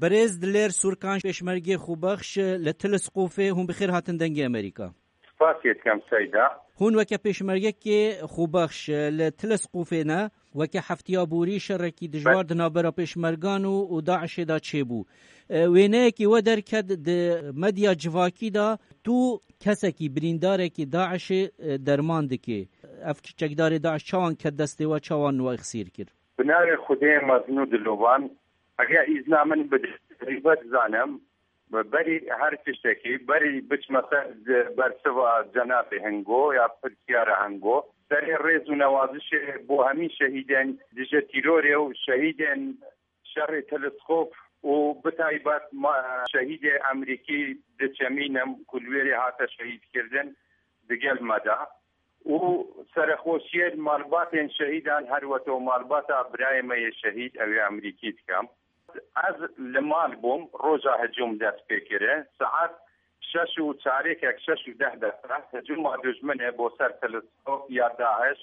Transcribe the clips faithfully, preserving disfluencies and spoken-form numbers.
Berêz Dilêr Sûrkan, pêşmergê xwebexş li Telesqofê, hûn bi xêr hatin Dengê Amerîka. Spasiyê dikim Seyda. Hûn weke pêşmergekê xwebexş li Telesqofê ne, weke heftiya borî şerekî dijwar Be- di navbera pêşmergan û, û DAIŞê de çêbû. E, wêneyekî we derket di medya civakî de, tu kesekî birîndarekî DAIŞê, e, derman dikê. Ev çekdarê DAIŞ çawan ket destê we, çawan we xsîr kir? Bi navê Xwedê mezin û dilovan, eger îzna min bide, rîbet zanim, berî her tiştekî, berî biçme ser bersiva cenabê Hingo ya pirsiyara Hingo, serê rêz û newazişê bo hemî şehîdên dije tîrorê û şehîdên şerê Teleskop û bi taybet ma-, şehîdê Emerîkî diçemînim ku li wêrê hate şehîdkirdin digel me de. Û serexweşiyê li malbatên şehîdan her weke û malbata birayê me yê şehîd ew ê Emerîkî dikim. Ez li mal bûm, roja hicûm dest pê kire. Saet şeş û çarêkek, şeş û deh deqe hicûma dijminê bo ser Teleskop ya DAIŞ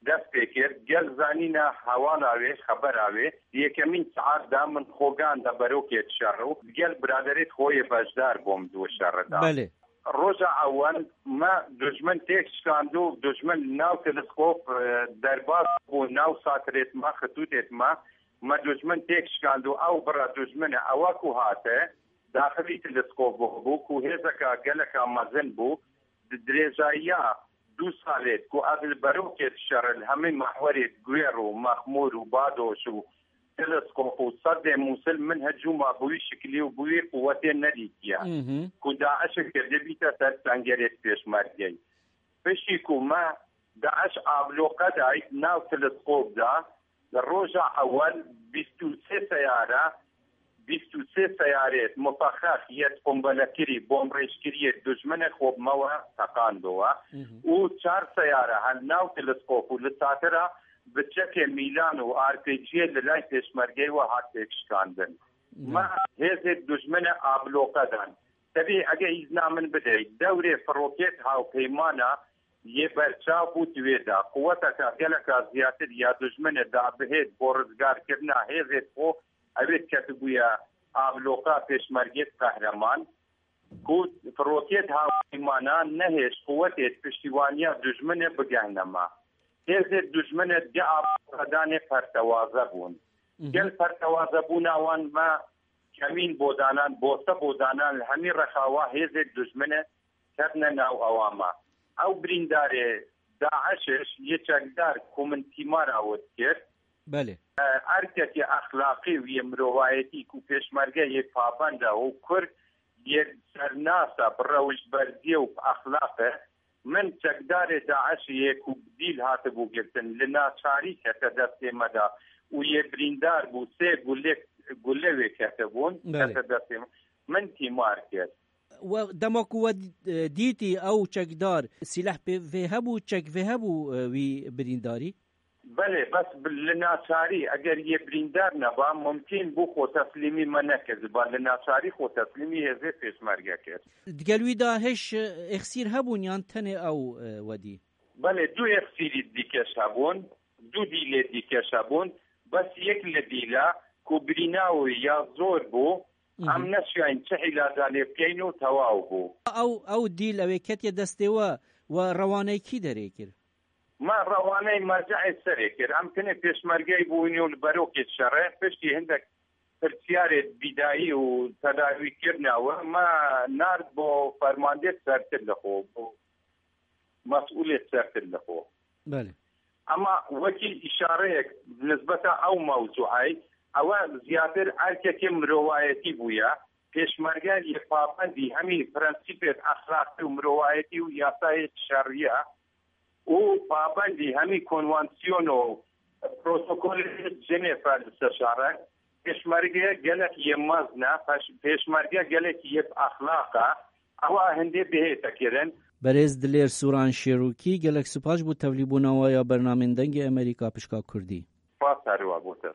dest pê kir. Gel zanîna hewala wê, xebera wê, di yekemîn saet de min xogan de berokê dişer û gel biraderêt xwe yê beşdar bûm di wê şerê de. Belê. Roja ewel me dujmin têk şikand û dujmin li nav Teleskop, e, derbas bû, nav satirêt me, xitûtêt me. Me dujmin têk şikand û ew bira dujmin e, ewa ku hate, daxilî Teleskop bû, ku hêzeka geleka mezin bû, di dirêjayiya du salê ku ez li berokê dişerim, li hemî mehwerê Guêr û Mexmûr û Badoş û Teleskop û Seddê Mûsil min hicûma bi wî şikilî û bi wî quwetê nedîtiye, Mhm. ku DAIŞ kirdibîte ser sengerê pêşmergeyê. Piştî ku me DAIŞ abloqe dayî nav Teleskop de, li roja ewel bîst û sê seyare, bîst û sê seyarê mufexex yê qumbelekirî, bomrêjkirî yê dijminê xwe bi me we teqandowe Mhm. û çar seyare hel nav Teleskop û li satira bi çekê mîlan û R P G'yê li lay pêşmergeyê we hat têkşikandin. Mhm. Me hêzê dijminê abloqe dan. Tevî ege îzna min bidey, dewrê firokêt hawpeymana yê berçav bû di wê de. Quweteke geleka ziyatir ya dijminê da bihêt bo rizgarkirina hêzê xwe, ew ê ketibûye abloqa pêşmergêt qehreman, ku firokêt hawpeymana nehêşt quwetêt piştîwaniya dijminê bigehne me. Hêzê dijminê di abloqedanê pertewaze bûn. Mhm. Gel pertewazebûna wan me kemîn bodanan, bose bodanan li hemî rexawa hêzê dijminê ketine nav ewa me. Ew birîndarê DAIŞiş yê çekdar ku min tîmara we dikir, Belê. e, erkekê exlaqî û yê mirovayetî ku pêşmerge yê pabend e û kurd yê sernasa bi rewişberziyê û bi exlaq e, min çekdarê DAIŞê yê ku bi dîl hatibû girtin, li naçarî kete destê me de û yê birîndar bû, sê gulê, gule wê ketibûn, Belê. kete destê me. Min tîmar kir. We, dema ku we, e, dîtî ew çekdar, sîleh pê vê hebû, çek vê hebû, e, wî birîndarî? Belê, bes bi, li naçarî, eger yê birîndar neba, mumkîn bû xwe teslîmî me nekirdiba, li naçarî xwe teslîmî hêzê pêşmerge kir. Digel wî de hêj, e, êxsîr hebûn yan tenê ew, e, wedî? Belê, du êxsîrî dîkeş hebûn, du dîlê dîkeş hebûn, bes yek li dîla ku birîna wî ya zor bû, Mhm. em neşiyayîn çi îlaca lê bikeyn û tewaw bû. Ew, ew dîl ew ê ketiye destê we, we rewaneyî kî derê kir? Me rewaneyî merceê serê kir. Em tenê pêşmergeyî bûyîn û li berokê şerê, piştî hindek pirsyarê bîdayî û tedawîkirina we me nard bo fermandê sertir li xwe, bo mesûlê sertir li xwe. Belê. Ema wekî îşareyek nisbeta ew mewzûeyê, ew e ziyatir erkekê mirovayetî bûye. Pêşmerge yê pabendî hemî prensîpê exlaqî û mirovayetî û yasayê şerî ye û pabendî hemî konwansiyon û protokolê Cenêve li ser şer e. Pêşmerge gelek yê mezin e, peş-, pêşmerge gelek yê bi exlaq e. Ewa hindê bihête kirin. Berêz Dilêr Sûran Şêrokî, gelek spas bo tevlîbûna we ya bernamên Dengê Amerîka pişka Kurdî. Spas her we bo te.